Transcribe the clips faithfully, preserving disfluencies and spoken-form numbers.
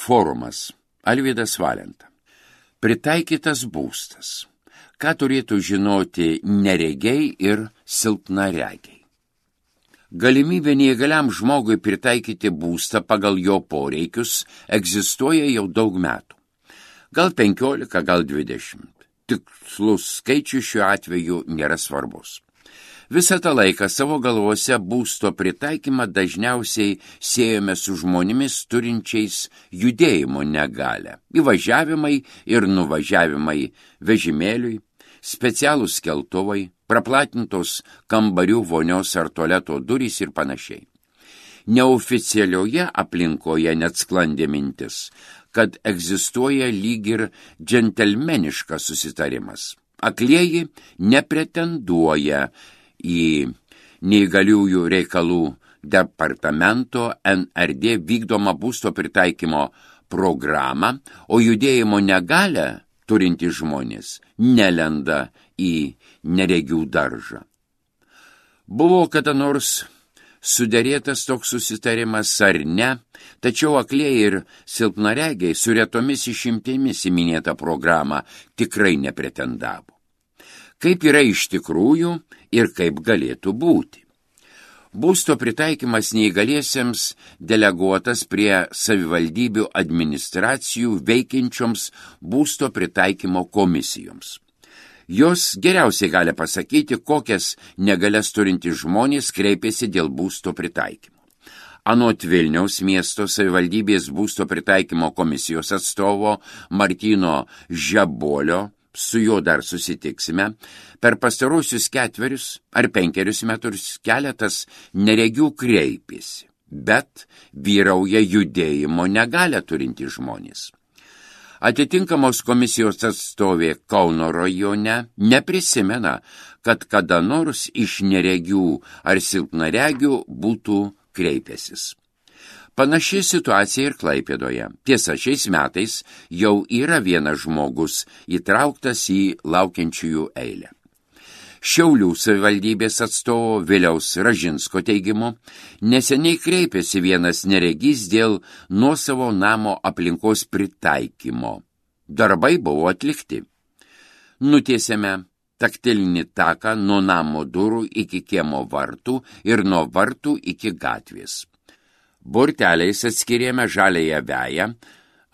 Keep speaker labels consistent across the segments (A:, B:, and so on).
A: Forumas. Alvydas Valenta. Pritaikytas būstas. Ką turėtų žinoti neregiai ir silpnaregiai? Galimybė neįgaliam žmogui pritaikyti būstą pagal jo poreikius egzistuoja jau daug metų. Gal penkiolika, gal dvidešimt. Tikslus skaičius šiuo atveju nėra svarbus. Visą tą laiką savo galvose būsto pritaikymą dažniausiai siejame su žmonėmis turinčiais judėjimo negalią. Įvažiavimai ir nuvažiavimai vežimėliui, specialūs keltuvai, praplatintos kambarių vonios ar tualeto durys ir panašiai. Neoficialioje aplinkoje net sklandė mintis, kad egzistuoja lyg ir džentelmeniškas susitarimas. Aklieji nepretenduoja į neįgaliųjų reikalų departamento N R D vykdomą būsto pritaikymo programą, o judėjimo negalią turinti žmonės nelenda į neregių daržą. Buvo kada nors suderėtas toks susitarimas ar ne, tačiau aklieji ir silpnaregiai su retomis išimtimis į minėtą programą tikrai nepretendavo. Kaip yra iš tikrųjų ir kaip galėtų būti. Būsto pritaikymas neįgaliesiems deleguotas prie savivaldybių administracijų veikiančioms būsto pritaikymo komisijoms. Jos geriausiai gali pasakyti, kokias negalias turintys žmonės kreipėsi dėl būsto pritaikymo. Anot Vilniaus miesto savivaldybės būsto pritaikymo komisijos atstovo Martyno Žebolio, su juo dar susitiksime, per pastarosius ketverius ar penkerius metus keletas neregių kreipėsi, bet vyrauja judėjimo negalią turintys žmonės. Atitinkamos komisijos atstovė Kauno rajone neprisimena, kad kada nors iš neregių ar silpnaregių būtų kreipęsis. Panaši situacija ir Klaipėdoje. Tiesa, šiais metais jau yra vienas žmogus įtrauktas į laukiančiųjų eilę. Šiaulių savivaldybės atstovo Viliaus Ražinsko teigimu, neseniai kreipėsi vienas neregys dėl nuosavo namo aplinkos pritaikymo. Darbai buvo atlikti. Nutiesėme taktilinį taką nuo namo durų iki kiemo vartų ir nuo vartų iki gatvės. Borteliais atskirėme žaliąją veją,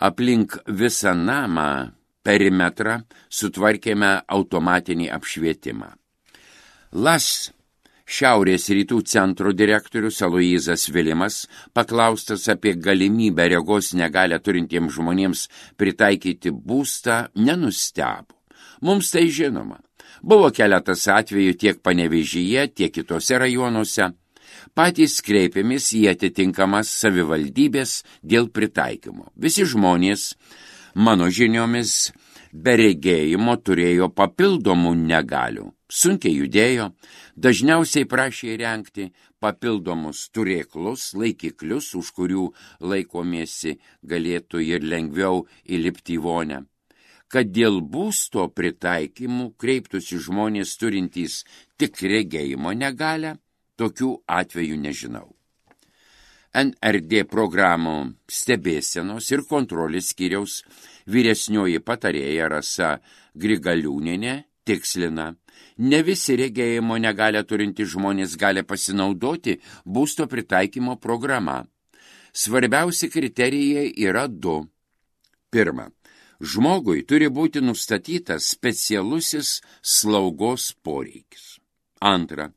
A: aplink visą namą perimetrą sutvarkėme automatinį apšvietimą. Las Šiaurės rytų centro direktorius Aloyzas Vilimas, paklaustas apie galimybę regos negalią turintiems žmonėms pritaikyti būstą, nenustebo. Mums tai žinoma. Buvo keletas atvejų tiek Panevėžyje, tiek kitose rajonuose. Patys kreipėmės į atitinkamas savivaldybės dėl pritaikymo. Visi žmonės, mano žiniomis, be regėjimo turėjo papildomų negalių. Sunkiai judėjo, dažniausiai prašė įrengti papildomus turėklus, laikiklius, už kurių laikomėsi galėtų ir lengviau įlipti į vonę. Kad dėl būsto pritaikymų kreiptųsi žmonės turintys tik regėjimo negalią, tokių atvejų nežinau. N R D programų stebėsenos ir kontrolės skyriaus vyresnioji patarėja Rasa Grigaliūnienė tikslina, ne visi regėjimo negalią turinti žmonės gali pasinaudoti būsto pritaikymo programa. Svarbiausi kriterijai yra du. Pirma, žmogui turi būti nustatytas specialusis slaugos poreikis. Antra,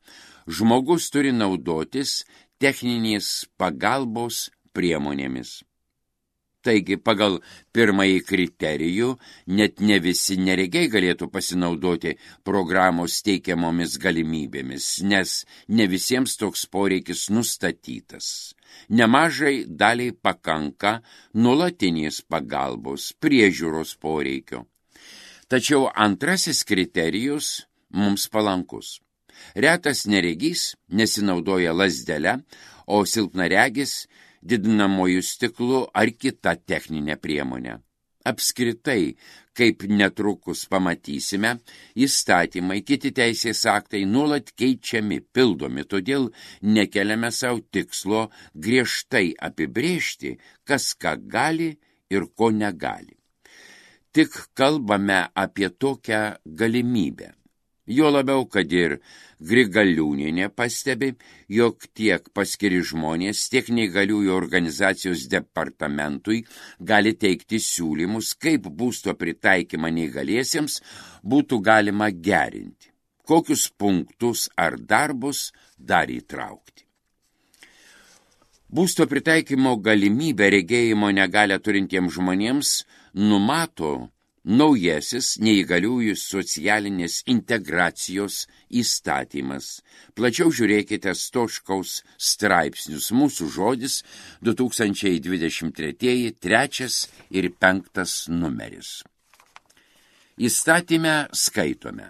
A: žmogus turi naudotis techninės pagalbos priemonėmis. Taigi, pagal pirmąjį kriterijų, net ne visi neregiai galėtų pasinaudoti programos teikiamomis galimybėmis, nes ne visiems toks poreikis nustatytas. Nemažai daliai pakanka nuolatinės pagalbos, priežiūros poreikio. Tačiau antrasis kriterijus mums palankus. Retas neregys nesinaudoja lazdele, o silpnaregis didinamojų stiklų ar kita techninė priemonė. Apskritai, kaip netrukus pamatysime, įstatymai, kiti teisės aktai nuolat keičiami, pildomi, todėl nekeliame savo tikslo griežtai apibrėžti, kas ką gali ir ko negali. Tik kalbame apie tokią galimybę. Jo labiau, kad ir Grigaliūnienė pastebi, jog tiek paskiri žmonės, tiek neįgaliųjų organizacijos departamentui gali teikti siūlymus, kaip būsto pritaikymą neįgaliesiems būtų galima gerinti, kokius punktus ar darbus dar įtraukti. Būsto pritaikymo galimybę regėjimo negalią turintiems žmonėms numato naujasis neįgaliųjų socialinės integracijos įstatymas. Plačiau žiūrėkite Stoškaus straipsnius. Mūsų žodis du tūkstančiai dvidešimt treji, trečias ir penktas numeris. Įstatyme skaitome.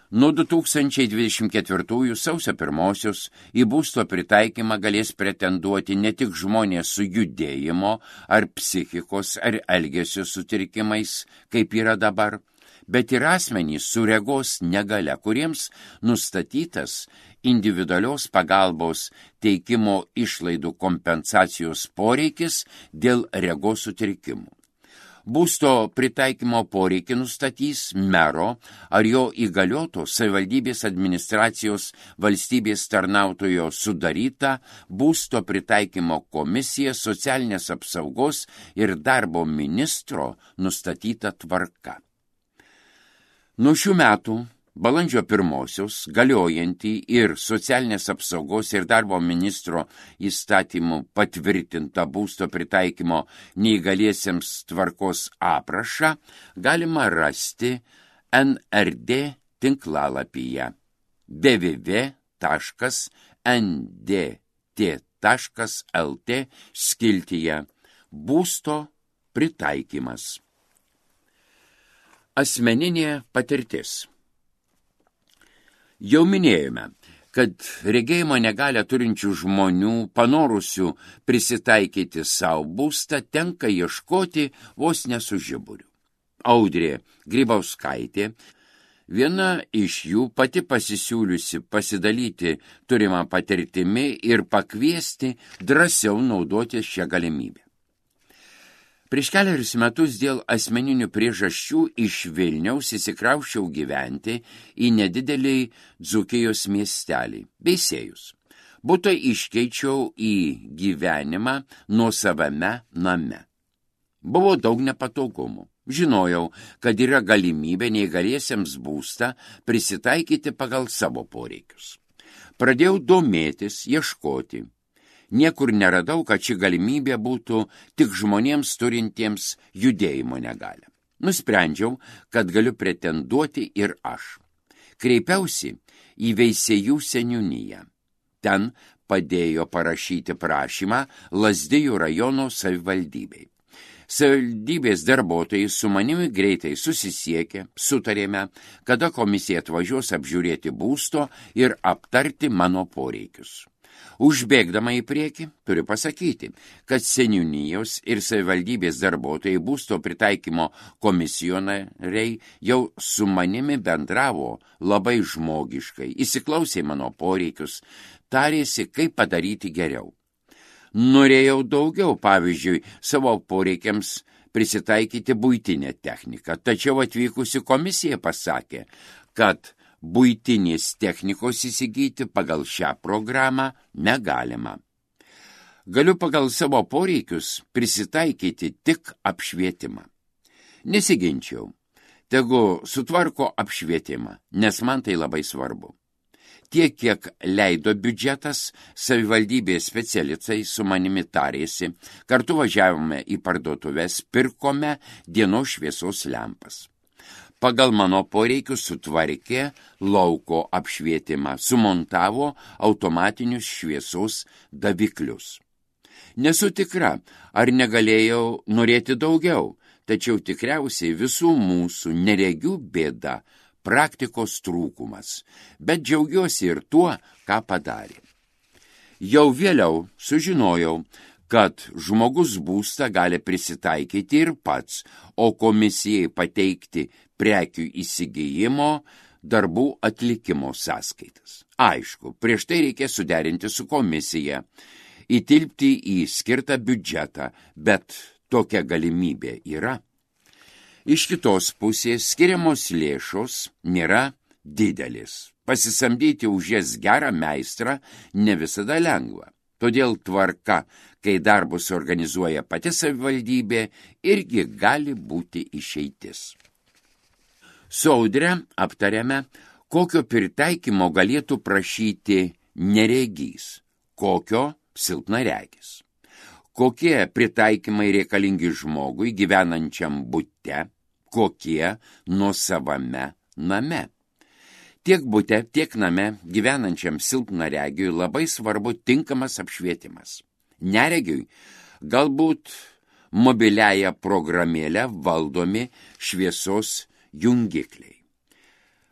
A: Nuo du tūkstančiai dvidešimt ketvirtųjų sausio pirmosios į būsto pritaikymą galės pretenduoti ne tik žmonės su judėjimo ar psichikos ar elgesio sutrikimais, kaip yra dabar, bet ir asmenys su regos negalia, kuriems nustatytas individualios pagalbos teikimo išlaidų kompensacijos poreikis dėl regos sutrikimų. Būsto pritaikymo poreikį nustatys mero ar jo įgalioto savivaldybės administracijos valstybės tarnautojo sudaryta būsto pritaikymo komisija socialinės apsaugos ir darbo ministro nustatyta tvarka. Nuo šių metų balandžio pirmosios galiojantį ir socialinės apsaugos ir darbo ministro įstatymų patvirtintą būsto pritaikymo neįgaliesiems tvarkos aprašą galima rasti N R D tinklalapyje w w w taškas n d t taškas l t skiltyje būsto pritaikymas. Asmeninė patirtis. Jau minėjome, kad regėjimo negalią turinčių žmonių panorusių prisitaikyti savo būstą tenka ieškoti vos ne su žiburiu. Audrė Grybauskaitė, viena iš jų pati pasisiūliusi pasidalyti turimą patirtimi ir pakviesti drąsiau naudoti šią galimybę. Prieš keliarius metus dėl asmeninių priežasčių iš Vilniaus įsikrauščiau gyventi į nedidelį Dzūkijos miestelį, Veisiejus. Butą iškeičiau į gyvenimą nuosavame name. Buvo daug nepatogumų. Žinojau, kad yra galimybė neįgaliesiems būstą prisitaikyti pagal savo poreikius. Pradėjau domėtis, ieškoti. Niekur neradau, kad ši galimybė būtų tik žmonėms turintiems judėjimo negalią. Nusprendžiau, kad galiu pretenduoti ir aš. Kreipiausi į Veisiejų seniūniją. Ten padėjo parašyti prašymą Lazdijų rajono savivaldybei. Savivaldybės darbuotojai su manimi greitai susisiekė, sutarėme, kada komisija atvažiuos apžiūrėti būsto ir aptarti mano poreikius. Užbėgdama į priekį, turiu pasakyti, kad seniūnijos ir savivaldybės darbuotojai būsto pritaikymo komisionariai jau su manimi bendravo labai žmogiškai, įsiklausė mano poreikius, tarėsi, kaip padaryti geriau. Norėjau daugiau, pavyzdžiui, savo poreikiams prisitaikyti buitinę techniką, tačiau atvykusi komisija pasakė, kad buitinės technikos įsigyti pagal šią programą negalima. Galiu pagal savo poreikius prisitaikyti tik apšvietimą. Nesiginčiau, tegu sutvarko apšvietimą, nes man tai labai svarbu. Tiek, kiek leido biudžetas, savivaldybės specialistai su manimi tarėsi, kartu važiavome į parduotuves, pirkome dienos šviesos lempas. Pagal mano poreikius sutvarkė lauko apšvietimą, sumontavo automatinius šviesos daviklius. Nesu tikra, ar negalėjau norėti daugiau, tačiau tikriausiai visų mūsų neregių bėda, praktikos trūkumas, bet džiaugiuosi ir tuo, ką padarė. Jau vėliau sužinojau, kad žmogus būstą gali prisitaikyti ir pats, o komisijai pateikti prekių įsigijimo darbų atlikimo sąskaitas. Aišku, prieš tai reikia suderinti su komisija, įtilpti į skirtą biudžetą, bet tokia galimybė yra. Iš kitos pusės skiriamos lėšos nėra didelis. Pasisamdyti už jas gerą meistrą ne visada lengva. Todėl tvarka, kai darbus organizuoja pati savivaldybė, irgi gali būti išeitis. Su Audre aptarėme, kokio pritaikymo galėtų prašyti neregys, kokio silpnaregis. Kokie pritaikymai reikalingi žmogui gyvenančiam bute, kokie nuosavame name. Tiek bute, tiek name gyvenančiam silpnaregiui labai svarbu tinkamas apšvietimas. Neregiui galbūt mobiliąją programėlę valdomi šviesos jungikliai.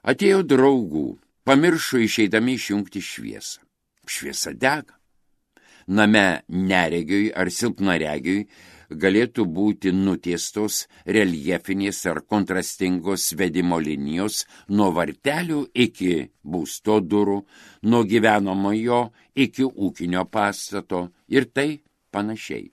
A: Atėjo draugų, pamiršo išeidami išjungti šviesą. Šviesa dega. Name neregiui ar silpnaregiui galėtų būti nutiestos reljefinės ar kontrastingos vedimo linijos nuo vartelių iki būsto durų, nuo gyvenamojo iki ūkinio pastato ir tai panašiai.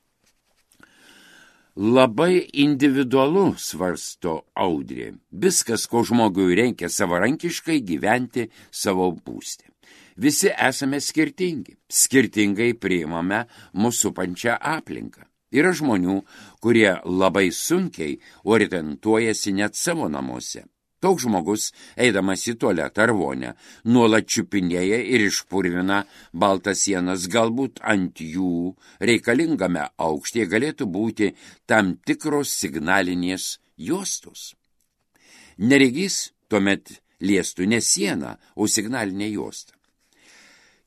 A: Labai individualu, svarsto Audrė, viskas, ko žmogui reikia savarankiškai gyventi savo būste. Visi esame skirtingi, skirtingai priimame mūsų supančią aplinką. Yra žmonių, kurie labai sunkiai orientuojasi net savo namuose. Toks žmogus, eidamas į tualetą ar vonę, nuolat čiupinėja ir išpurvina baltas sienas, galbūt ant jų reikalingame aukštyje galėtų būti tam tikros signalinės juostos. Neregys tuomet liestų ne sieną, o signalinę juostą.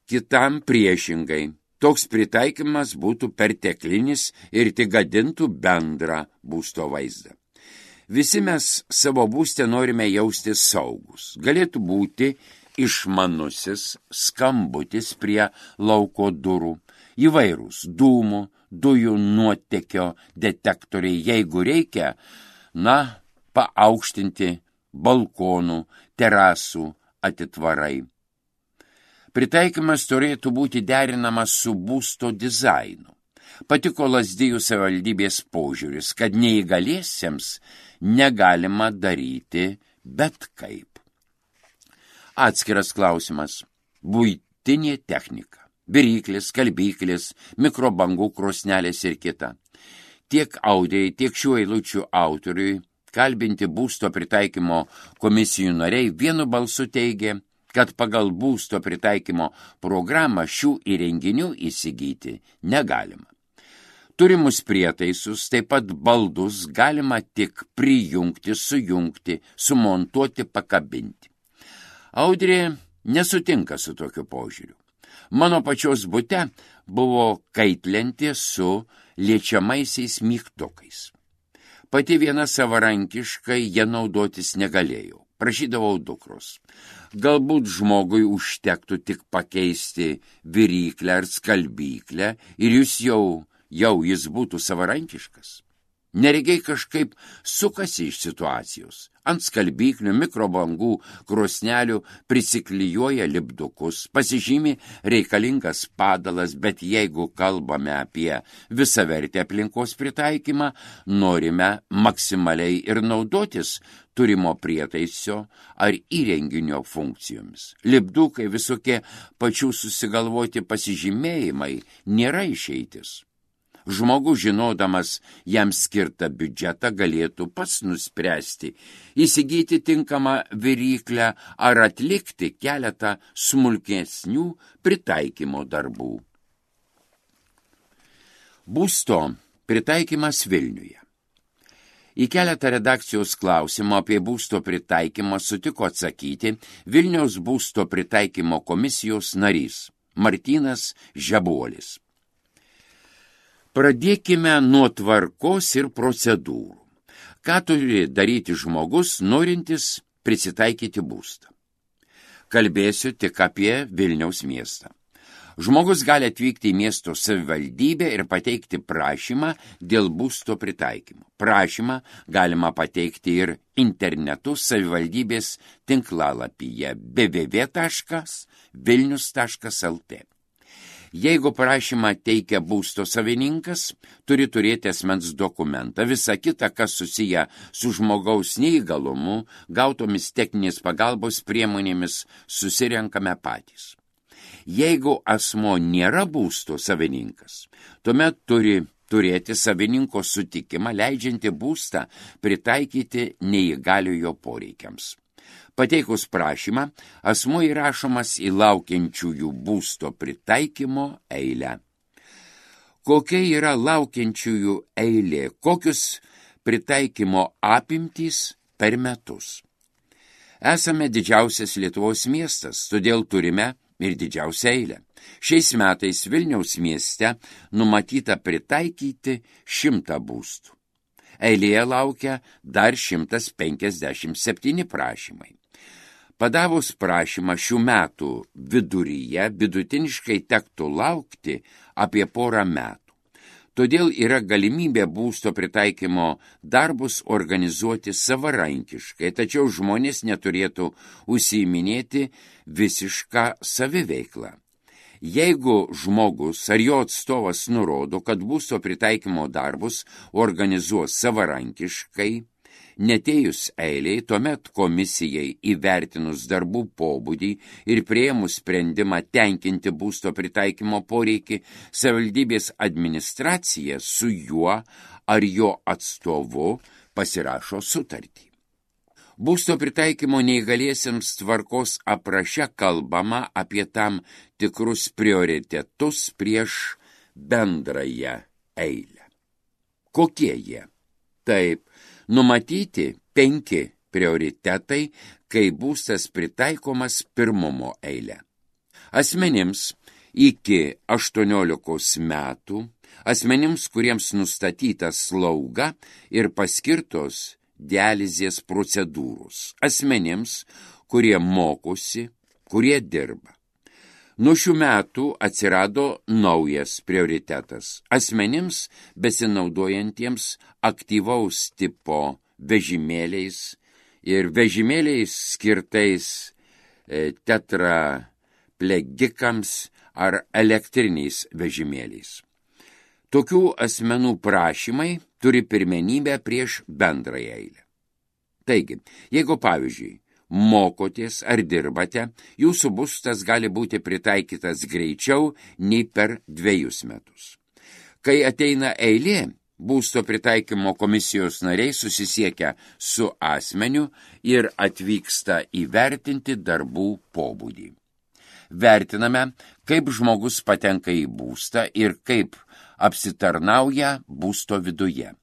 A: Kitam priešingai. Toks pritaikymas būtų perteklinis ir tik gadintų bendrą būsto vaizdą. Visi mes savo būste norime jausti saugus. Galėtų būti išmanusis skambutis prie lauko durų, įvairūs dūmų, dujų nuotėkio detektoriai, jeigu reikia, na, paaukštinti balkonų, terasų atitvarai. Pritaikymas turėtų būti derinamas su būsto dizainu. Patiko Lazdijų savivaldybės požiūris, kad neįgaliesiems negalima daryti bet kaip. Atskiras klausimas – buitinė technika, viryklis, skalbyklis, mikrobangų krosnelės ir kita. Tiek Audrei, tiek šių eilučių autoriui kalbinti būsto pritaikymo komisijų nariai vienu balsu teigė, kad pagal būsto pritaikymo programą šių įrenginių įsigyti negalima. Turimus prietaisus, taip pat baldus galima tik prijungti, sujungti, sumontuoti, pakabinti. Audrė nesutinka su tokiu požiūriu. Mano pačios bute buvo kaitlentė su liečiamaisiais mygtukais. Pati viena savarankiškai jie naudotis negalėjau. Prašydavau dukros. Galbūt žmogui užtektų tik pakeisti viryklę ar skalbyklę ir jūs jau, jau jis būtų savarankiškas. Neregiai kažkaip sukasi iš situacijos. Ant skalbyklių, mikrobangų, krosnelių prisiklijuoja lipdukus, pasižymi reikalingas padalas, bet jeigu kalbame apie visavertį aplinkos pritaikymą, norime maksimaliai ir naudotis turimo prietaiso ar įrenginio funkcijomis. Lipdukai, visokie pačių susigalvoti pasižymėjimai nėra išeitis. Žmogus, žinodamas jam skirtą biudžetą, galėtų pats nuspręsti, įsigyti tinkamą viryklę ar atlikti keletą smulkesnių pritaikymo darbų. Būsto pritaikymas Vilniuje. Į keletą redakcijos klausimų apie būsto pritaikymą sutiko atsakyti Vilniaus būsto pritaikymo komisijos narys Martynas Žebuolis. Pradėkime nuo tvarkos ir procedūrų. Ką turi daryti žmogus, norintis prisitaikyti būstą? Kalbėsiu tik apie Vilniaus miestą. Žmogus gali atvykti į miesto savivaldybę ir pateikti prašymą dėl būsto pritaikymo. Prašymą galima pateikti ir internetu savivaldybės tinklalapyje w w w taškas vilnius taškas l t. Jeigu prašymą teikia būsto savininkas, turi turėti asmens dokumentą. Visa kita, kas susiję su žmogaus neįgalumu, gautomis techninės pagalbos priemonėmis, susirenkame patys. Jeigu asmo nėra būsto savininkas, tuomet turi turėti savininko sutikimą, leidžiantį būstą pritaikyti neįgaliojo poreikiams. Pateikus prašymą, asmuo įrašomas į laukiančiųjų būsto pritaikymo eilę. Kokia yra laukiančiųjų eilė, kokius pritaikymo apimtys per metus? Esame didžiausias Lietuvos miestas, todėl turime ir didžiausią eilę. Šiais metais Vilniaus mieste numatyta pritaikyti šimtą būstų. Eilėje laukia dar šimtas penkiasdešimt septyni prašymai. Padavus prašymą šių metų viduryje vidutiniškai tektų laukti apie porą metų. Todėl yra galimybė būsto pritaikymo darbus organizuoti savarankiškai, tačiau žmonės neturėtų užsiiminėti visišką saviveiklą. Jeigu žmogus ar jo atstovas nurodo, kad būsto pritaikymo darbus organizuos savarankiškai, netėjus eiliai, tuomet komisijai įvertinus darbų pobūdį ir priėmus sprendimą tenkinti būsto pritaikymo poreikį, savivaldybės administracija su juo ar jo atstovu pasirašo sutartį. Būsto pritaikymo neįgaliesiems tvarkos apraše kalbama apie tam tikrus prioritetus prieš bendrąją eilę. Kokie jie? Taip, numatyti penki prioritetai, kai būstas pritaikomas pirmumo eilę. Asmenims iki aštuoniolikos metų, asmenims, kuriems nustatyta slauga ir paskirtos dializės procedūros, asmenims, kurie mokosi, kurie dirba. Nuo šių metų atsirado naujas prioritetas – asmenims besinaudojantiems aktyvaus tipo vežimėliais ir vežimėliais skirtais e, tetraplegikams ar elektriniais vežimėliais. Tokių asmenų prašymai turi pirmenybę prieš bendrąją eilę. Taigi, jeigu pavyzdžiui, mokotės ar dirbate, jūsų būstas gali būti pritaikytas greičiau nei per dviejus metus. Kai ateina eilė, būsto pritaikymo komisijos nariai susisiekia su asmeniu ir atvyksta įvertinti darbų pobūdį. Vertiname, kaip žmogus patenka į būstą ir kaip apsitarnauja būsto viduje.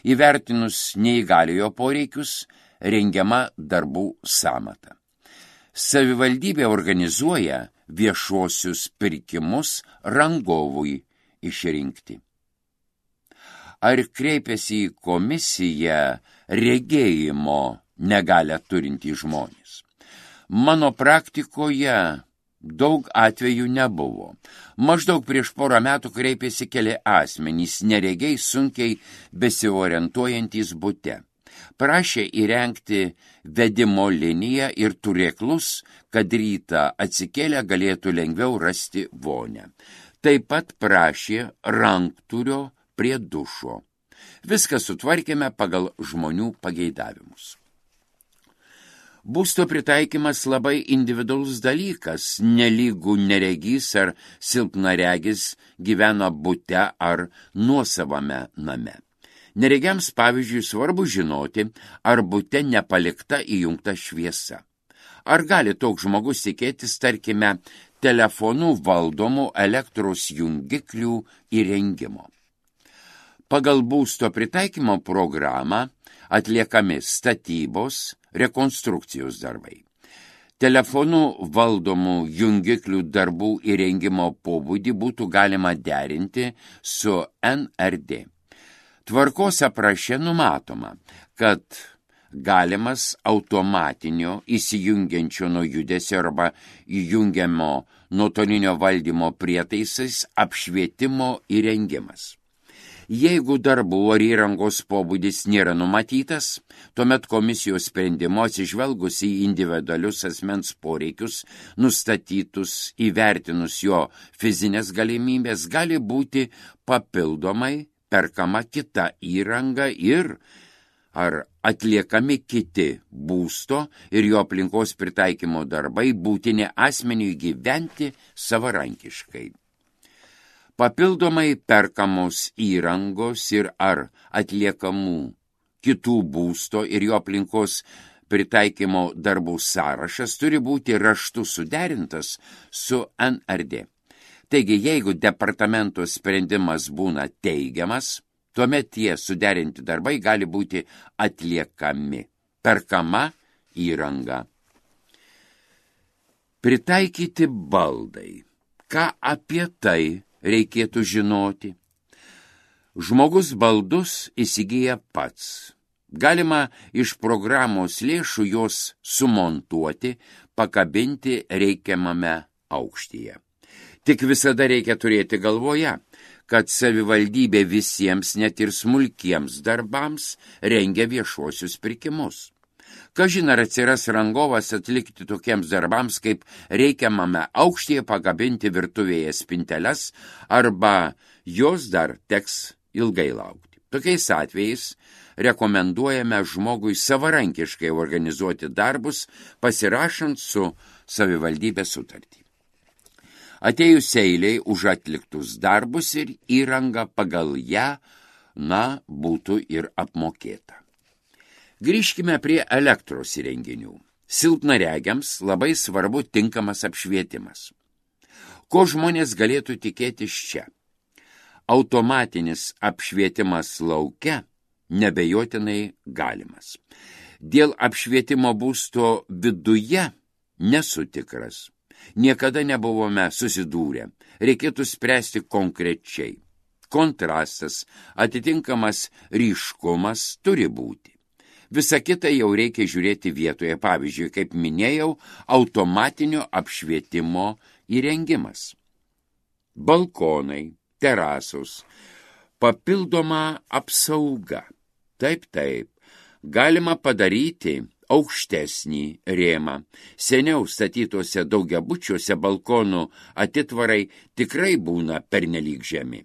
A: Įvertinus neįgaliojo poreikius, rengiama darbų sąmata. Savivaldybė organizuoja viešuosius pirkimus rangovui išrinkti. Ar kreipiasi į komisiją regėjimo negalią turintys žmonės? Mano praktikoje daug atvejų nebuvo. Maždaug prieš porą metų kreipėsi keli asmenys, neregiai sunkiai besiorientuojantys bute. Prašė įrengti vedimo liniją ir turėklus, kad rytą atsikėlę galėtų lengviau rasti vonę. Taip pat prašė rankturio prie dušo. Viską sutvarkėme pagal žmonių pageidavimus. Būsto pritaikymas labai individualus dalykas, nelygų neregys ar silpnaregis gyvena bute ar nuosavame name. Neregiams, pavyzdžiui, svarbu žinoti, ar bute nepalikta įjungta šviesa. Ar gali toks žmogus tikėtis, tarkime, telefonų valdomų elektros jungiklių įrengimo. Pagal būsto pritaikymo programą atliekami statybos, rekonstrukcijos darbai. Telefonų valdomų jungiklių darbų įrengimo pobūdį būtų galima derinti su N R D. Tvarkos apraše numatoma, kad galimas automatinio įsijungiančio nuo judesio arba įjungiamo nuotolinio valdymo prietaisais apšvietimo įrengimas. Jeigu darbų ar įrangos pobūdis nėra numatytas, tuomet komisijos sprendimo atsižvelgus į individualius asmens poreikius, nustatytus įvertinus jo fizinės galimybės, gali būti papildomai perkama kita įranga ir ar atliekami kiti būsto ir jo aplinkos pritaikymo darbai būtini asmeniui gyventi savarankiškai. Papildomai perkamos įrangos ir ar atliekamų kitų būsto ir jo aplinkos pritaikymo darbų sąrašas turi būti raštu suderintas su N R D. Taigi, jeigu departamento sprendimas būna teigiamas, tuomet tie suderinti darbai gali būti atliekami, perkama įranga. Pritaikyti baldai. Ką apie tai reikėtų žinoti? Žmogus baldus įsigyja pats. Galima iš programos lėšų juos sumontuoti, pakabinti reikiamame aukštyje. Tik visada reikia turėti galvoje, kad savivaldybė visiems, net ir smulkiems darbams, rengia viešuosius pirkimus. Kažin ar atsiras rangovas atlikti tokiems darbams, kaip reikiamame aukštyje pakabinti virtuvėje spinteles, arba jos dar teks ilgai laukti. Tokiais atvejais rekomenduojame žmogui savarankiškai organizuoti darbus, pasirašant su savivaldybė sutartį. Atėjus eiliai už atliktus darbus ir įranga pagal ją, na, būtų ir apmokėta. Grįžkime prie elektros įrenginių. Silpnaregiams labai svarbu tinkamas apšvietimas. Ko žmonės galėtų tikėtis čia? Automatinis apšvietimas lauke nebejotinai galimas. Dėl apšvietimo būsto viduje nesu tikras. Niekada nebuvome susidūrę. Reikėtų spręsti konkrečiai. Kontrastas, atitinkamas ryškumas turi būti. Visa kita jau reikia žiūrėti vietoje. Pavyzdžiui, kaip minėjau, automatinio apšvietimo įrengimas. Balkonai, terasos, papildoma apsauga. Taip, taip, galima padaryti aukštesnį rėmą. Seniau statytose daugiabučiuose balkonų atitvarai tikrai būna pernelyg žemi.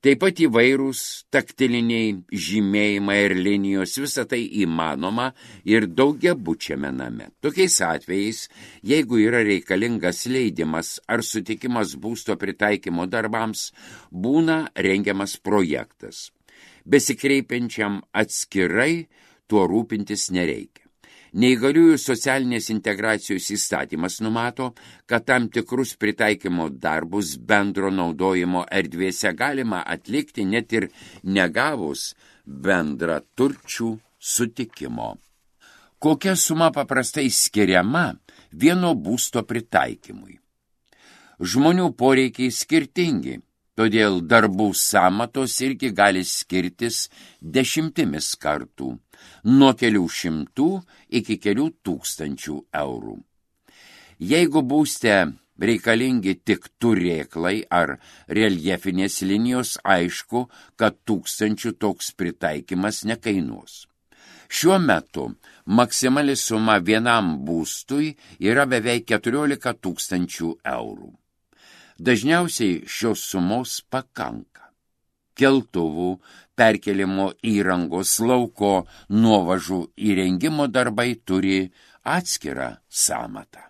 A: Taip pat įvairūs taktiliniai žymėjimai ir linijos, visa tai įmanoma ir daugiabučiame name. Tokiais atvejais, jeigu yra reikalingas leidimas ar sutikimas būsto pritaikymo darbams, būna rengiamas projektas. Besikreipiančiam atskirai tuo rūpintis nereikia. Neįgaliųjų socialinės integracijos įstatymas numato, kad tam tikrus pritaikymo darbus bendro naudojimo erdvėse galima atlikti net ir negavus bendra turčių sutikimo. Kokia suma paprastai skiriama vieno būsto pritaikymui? Žmonių poreikiai skirtingi, todėl darbų sąmatos irgi gali skirtis dešimtimis kartų, nuo kelių šimtų iki kelių tūkstančių eurų. Jeigu būste reikalingi tik turėklai ar reljefinės linijos, aišku, kad tūkstančių toks pritaikymas nekainuos. Šiuo metu maksimali suma vienam būstui yra beveik keturiolika tūkstančių eurų. Dažniausiai šios sumos pakanka. Keltuvų, perkelimo įrangos, lauko nuovažų įrengimo darbai turi atskirą sąmatą.